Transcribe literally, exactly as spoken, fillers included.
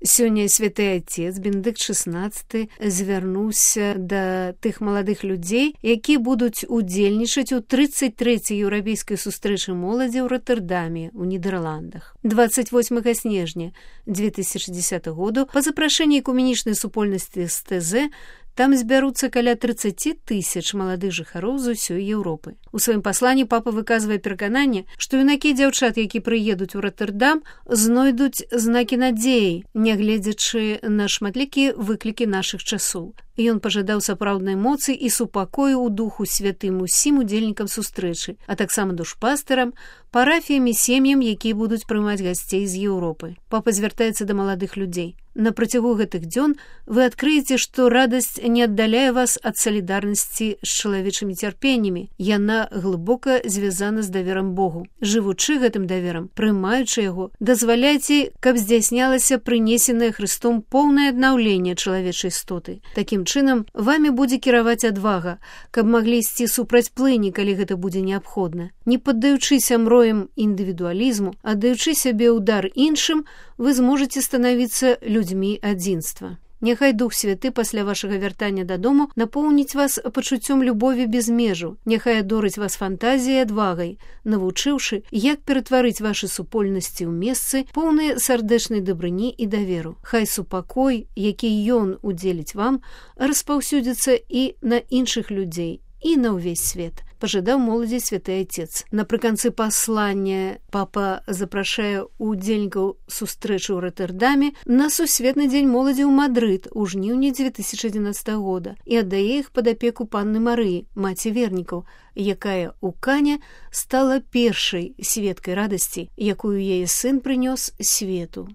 Сёння святы Отец Бенедыкт шестнадцаты звярнуўся да тых маладых людзей, якія будуць удзельнічаць у тридцать трэцяй еўрапейскай сустрэчы моладзі ў Роттердаме, у Нідерландах. двадцать восьмага снежня две тысячи десятого году па запрашэнні экуменічнай супольнасці з тэ зэ там збяруцца каля тридцать тысяч маладых жыхароў з усёй Еўропы. У сваім пасланні папа выказвае перакананне, што юнакі і дзяўчат, які прыедуць у Роттердам, знойдуць знакі надзеі, нягледзячы на шматлікія выклікі нашых часоў. Ён пажадаў сапраўднай моцы і супакою ў духу святым усім удзельнікам сустрэчы, а таксама душпастарам, парафіям і сем'ям, якія будуць прымаць гасцей з Еўропы. Папа звяртаецца да маладых людзей. На працягу гэтых дзён вы адкрыеце, што радасць не аддаляе вас ад салідарнасці з чалавечымі цярпеннямі. Яна глыбока звязана з даверам Богу. Жывучы гэтым даверам, прымаючы яго, дазваляйце, каб здзяйснялася прынесенае Хрыстом поўнае аднаўленне чалавечай істоты. Такім чынам, вамі будзе кіраваць адвага, каб маглі ісці супраць плыні, калі гэта будзе неабходна. Не паддаючыся мроям індывідуалізму, аддаючы сябе ў дар іншым, вы зможаце станавіцца людзьмі адзінства. Няхай Дух Святы пасля вашага вяртання дадому напоўніць вас пачуццём любові без межу. Няхай адорыць вас фантазіяй і адвагай, навучыўшы, як ператварыць вашы супольнасці ў месцы, поўныя сардэчнай дабрыні і даверу. Хай супакой, які Ён удзеліць вам, распаўсюдзіцца і на іншых людзей, і на ўвесь свет. Пажадаў моладзі святы Отец. Напрыканцы паслання папа запрашае удзельнікаў сустрэчы ў Роттердаме на сусветны дзень моладзі ў Мадрыд у жніўні две тысячи одиннадцатого года і аддае іх пад апеку панны Марыі, маці вернікаў, якая ў Кане стала першай сведкай радасці, якую яе сын прынёс свету.